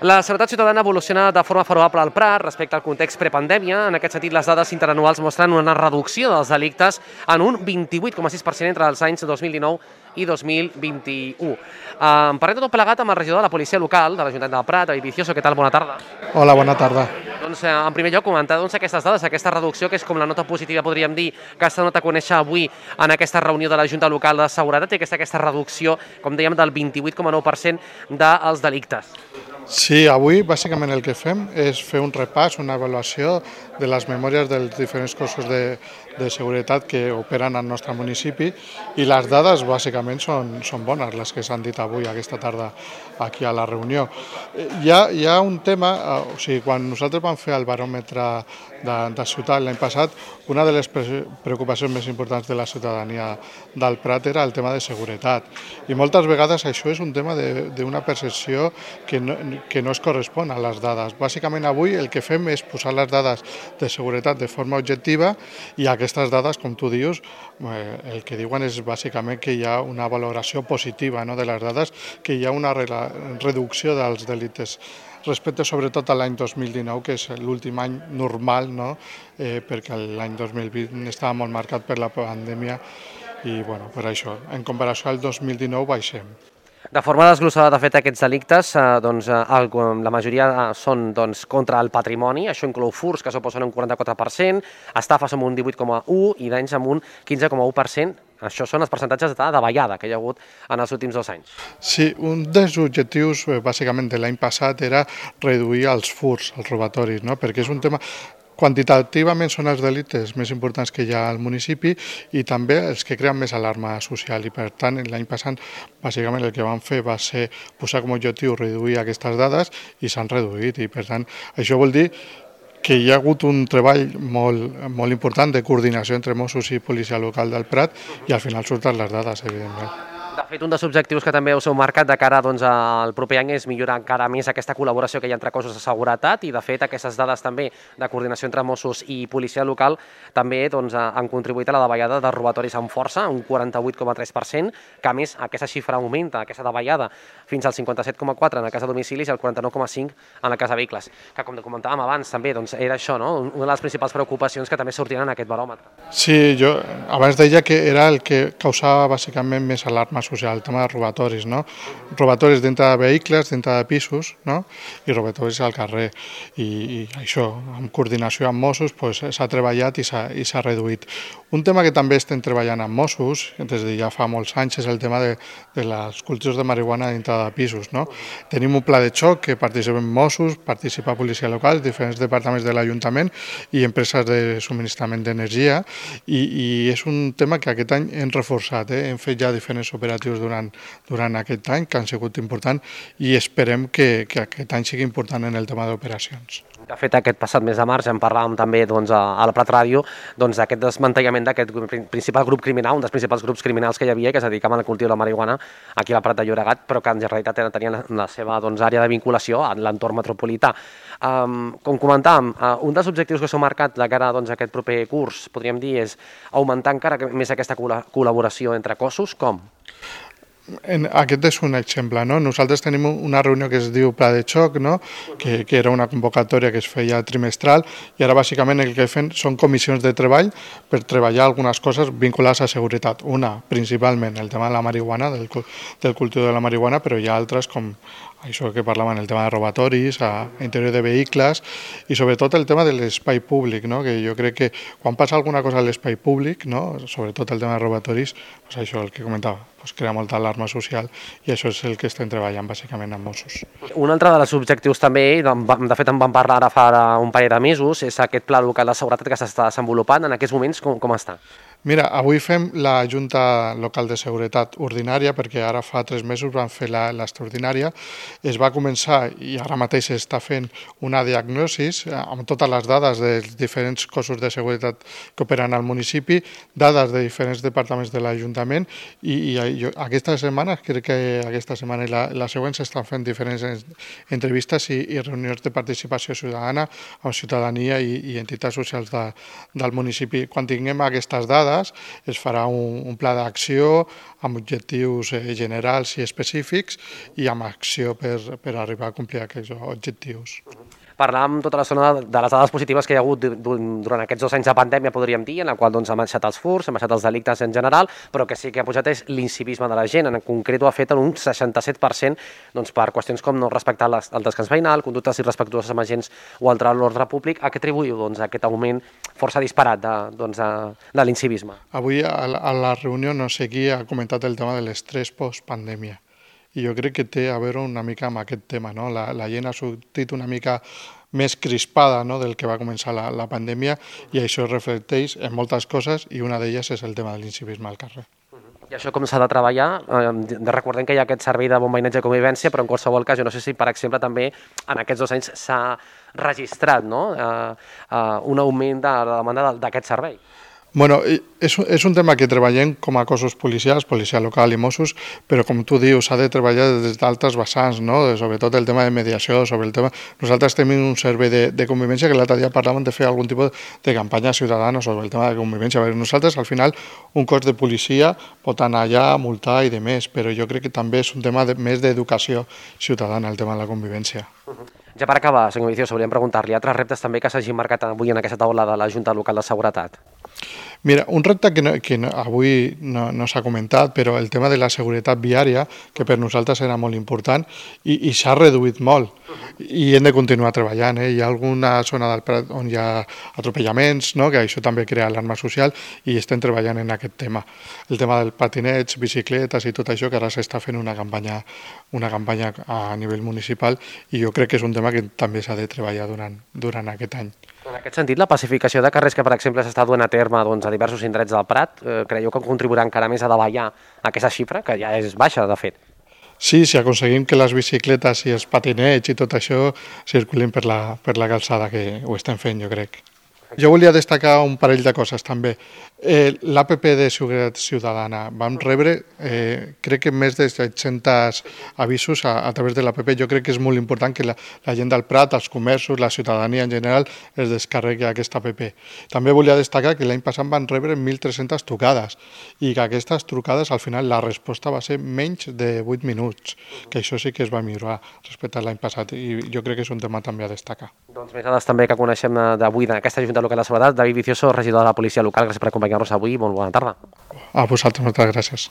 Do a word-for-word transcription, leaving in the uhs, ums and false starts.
La seguretat ciutadana evoluciona de forma favorable al Prat respecte al context prepandèmia. En aquest sentit, les dades interanuals mostren una reducció dels delictes en un vint-i-vuit coma sis per cent entre els anys dos mil dinou i dos mil vint-i-u. En parlem de tot plegat amb el regidor de la policia local de l'Ajuntament del Prat, David Vicioso. Què tal? Bona tarda. Hola, bona tarda. Doncs, en primer lloc, comentar doncs, aquestes dades, aquesta reducció, que és com la nota positiva, podríem dir, que s'ha donat a conèixer avui en aquesta reunió de la Junta Local de Seguretat, i aquesta, aquesta reducció, com dèiem, del vint-i-vuit coma nou per cent dels delictes. Sí, avui bàsicament el que fem és fer un repàs, una avaluació de les memòries dels diferents cossos de, de seguretat que operen al nostre municipi, i les dades bàsicament són, són bones, les que s'han dit avui, aquesta tarda, aquí a la reunió. Hi ha, hi ha un tema, o sigui, quan nosaltres vam fer el baròmetre de, de ciutat l'any passat, una de les preocupacions més importants de la ciutadania del Prat era el tema de seguretat, i moltes vegades això és un tema d'una percepció que no, que no es correspon a les dades. Bàsicament avui el que fem és posar les dades de seguretat de forma objectiva, i aquestes dades, com tu dius, el que diuen és bàsicament que hi ha una valoració positiva, no, de les dades, que hi ha una reducció dels delictes respecte sobretot a l'any dos mil dinou, que és l'últim any normal, no? eh, perquè l'any dos mil vint estava molt marcat per la pandèmia, i bueno, per això, en comparació al dos mil dinou baixem. De forma desglossada, de fet, aquests delictes, eh, doncs, el, la majoria són doncs, contra el patrimoni. Això inclou furts, que suposen un quaranta-quatre per cent, estafes amb un divuit coma u i danys amb un quinze coma u per cent. Això són els percentatges de davallada que hi ha hagut en els últims dos anys. Sí, un dels objectius, bàsicament, de l'any passat era reduir els furts, els robatoris, no? Perquè és un tema... Quantitativament són els delictes més importants que hi ha al municipi, i també els que creen més alarma social, i per tant l'any passat bàsicament el que vam fer va ser posar com a objectiu reduir aquestes dades, i s'han reduït, i per tant això vol dir que hi ha hagut un treball molt, molt important de coordinació entre Mossos i Policia Local del Prat, i al final surten les dades, evidentment. De fet, un dels objectius que també us heu marcat de cara doncs, al proper any és millorar encara més aquesta col·laboració que hi ha entre cossos de seguretat, i de fet aquestes dades també de coordinació entre Mossos i policia local també doncs, han contribuït a la davallada de robatoris amb força, un quaranta-vuit coma tres per cent, que a més aquesta xifra augmenta, aquesta davallada, fins al cinquanta-set coma quatre en el cas de domicilis i el quaranta-nou coma cinc en el cas de vehicles, que com comentàvem abans també doncs, era això, no? Una de les principals preocupacions que també sortiran en aquest baròmetre. Sí, jo abans deia que era el que causava bàsicament més alarma social, el tema de robatoris, no? Robatoris dintre de vehicles, dintre de pisos, no? I robatoris al carrer. I, i això, amb coordinació amb Mossos, pues, s'ha treballat i s'ha reduït. Un tema que també estem treballant amb Mossos, des de ja fa molts anys, és el tema de, de les cultius de marihuana dintre de pisos, no? Tenim un pla de xoc que participen Mossos, participa Policia Local, diferents departaments de l'Ajuntament i empreses de subministrament d'energia, i, i és un tema que aquest any hem reforçat, eh? Hem fet ja diferents operatius durant, durant aquest any, que han sigut importants, i esperem que, que aquest any sigui important en el tema d'operacions. De fet, aquest passat mes de març en parlàvem també doncs, a la Prat Ràdio doncs, d'aquest desmantellament d'aquest principal grup criminal, un dels principals grups criminals que hi havia, que es dedicaven al cultiu de la marihuana aquí a la Prat de Llobregat, però que en realitat tenien la, la seva doncs, àrea de vinculació a l'entorn metropolità. Um, com comentàvem, uh, un dels objectius que s'ha marcat de cara doncs, a aquest proper curs, podríem dir, és augmentar encara més aquesta col·laboració entre cossos. Com? En, aquest és un exemple, no? Nosaltres tenim una reunió que es diu Pla de Xoc, no? que, que era una convocatòria que es feia trimestral, i ara bàsicament el que fem són comissions de treball per treballar algunes coses vinculades a seguretat. Una, principalment, el tema de la marihuana, del, del cultiu de la marihuana, però hi ha altres com això que parlaven, el tema de robatoris, a interior de vehicles, i sobretot el tema de l'espai públic, no? Que jo crec que quan passa alguna cosa a l'espai públic, no? Sobretot el tema de robatoris, pues això el que comentava, pues crea molta alarma social, i això és el que estem treballant bàsicament amb Mossos. Un altre dels objectius també, de fet en vam parlar ara fa un parell de mesos, és aquest pla local de seguretat que s'està desenvolupant. En aquests moments com, com està? Mira, avui fem la Junta Local de Seguretat ordinària, perquè ara fa tres mesos vam fer l'extraordinària. Es va començar, i ara mateix s'està fent, una diagnosi amb totes les dades dels diferents cossos de seguretat que operen al municipi, dades de diferents departaments de l'Ajuntament, i, i aquesta setmana, crec que aquesta setmana i la, la següent s'estan fent diferents entrevistes i, i reunions de participació ciutadana amb ciutadania i, i entitats socials de, del municipi. Quan tinguem aquestes dades, dades, es farà un, un pla d'acció amb objectius eh, generals i específics i amb acció per, per arribar a complir aquests objectius. Parlàvem tota l'estona de les dades positives que hi ha hagut durant aquests dos anys de pandèmia, podríem dir, en la qual doncs, han baixat els furts, han baixat els delictes en general, però que sí que ha pujat és l'incivisme de la gent. En concret ho ha fet en un seixanta-set per cent doncs, per qüestions com no respectar les, el descans veïnal, conductes irrespectuoses amb agents o altre l'ordre públic. A què atribuïu doncs, aquest augment força disparat de, doncs, de, de l'incivisme? Avui a la, a la reunió no sé qui ha comentat el tema de l'estrès post-pandèmia. I jo crec que té a veure una mica amb aquest tema, no? La, la gent ha sortit una mica més crispada, no?, del que va començar la, la pandèmia i això es reflecteix en moltes coses i una d'elles és el tema de l'incivisme al carrer. I això com s'ha de treballar? Eh, recordem que hi ha aquest servei de bon veïnatge i convivència, però en qualsevol cas, jo no sé si, per exemple, també en aquests dos anys s'ha registrat, no?, eh, eh, un augment de la demanda d'aquest servei. Bueno, és, és un tema que treballem com a cossos policials, policia local i Mossos, però com tu dius, s'ha de treballar des d'altres vessants, no? Sobretot el tema de mediació, sobre el tema... Nosaltres tenim un servei de, de convivència que l'altre dia parlàvem de fer algun tipus de campanya ciutadana sobre el tema de convivència. Nosaltres, al final, un cos de policia pot anar allà, multar i de més, però jo crec que també és un tema de, més d'educació ciutadana, el tema de la convivència. Uh-huh. Ja per acabar, senyor Vicioso, volíem preguntar-li altres reptes també que s'hagin marcat avui en aquesta taula de la Junta Local de Seguretat. Mira, un repte que, no, que no, avui no, no s'ha comentat, però el tema de la seguretat viària, que per nosaltres era molt important, i, i s'ha reduït molt, i hem de continuar treballant. Eh? Hi ha alguna zona del Prat on hi ha atropellaments, no? Que això també crea alarma social, i estem treballant en aquest tema. El tema del patineig, bicicletes i tot això, que ara s'està fent una campanya, una campanya a nivell municipal, i jo crec que és un tema que també s'ha de treballar durant, durant aquest any. En aquest sentit, la pacificació de carrers que, per exemple, s'està duent a terme doncs, a diversos indrets del Prat, eh, creieu que contribuirà encara més a davallar aquesta xifra, que ja és baixa, de fet? Sí, si aconseguim que les bicicletes i els patinets i tot això circulin per la, per la calçada, que ho estem fent, jo crec. Jo volia destacar un parell de coses també. Eh, L'A P P de Seguretat Ciutadana, vam rebre, eh, crec que més de set-cents avisos a, a través de l'A P P. Jo crec que és molt important que la, la gent del Prat, els comerços, la ciutadania en general, es descarregui aquesta A P P. També volia destacar que l'any passat van rebre mil tres-centes trucades i que aquestes trucades, al final, la resposta va ser menys de vuit minuts, que això sí que es va millorar respecte a l'any passat i jo crec que és un tema també a destacar. Doncs més dades també que coneixem d'avui d'aquesta Junta Local de Seguretat. David Vicioso, regidor de la Policia Local, gràcies per acompanyar-nos avui. Molt bona tarda. A vosaltres, moltes gràcies.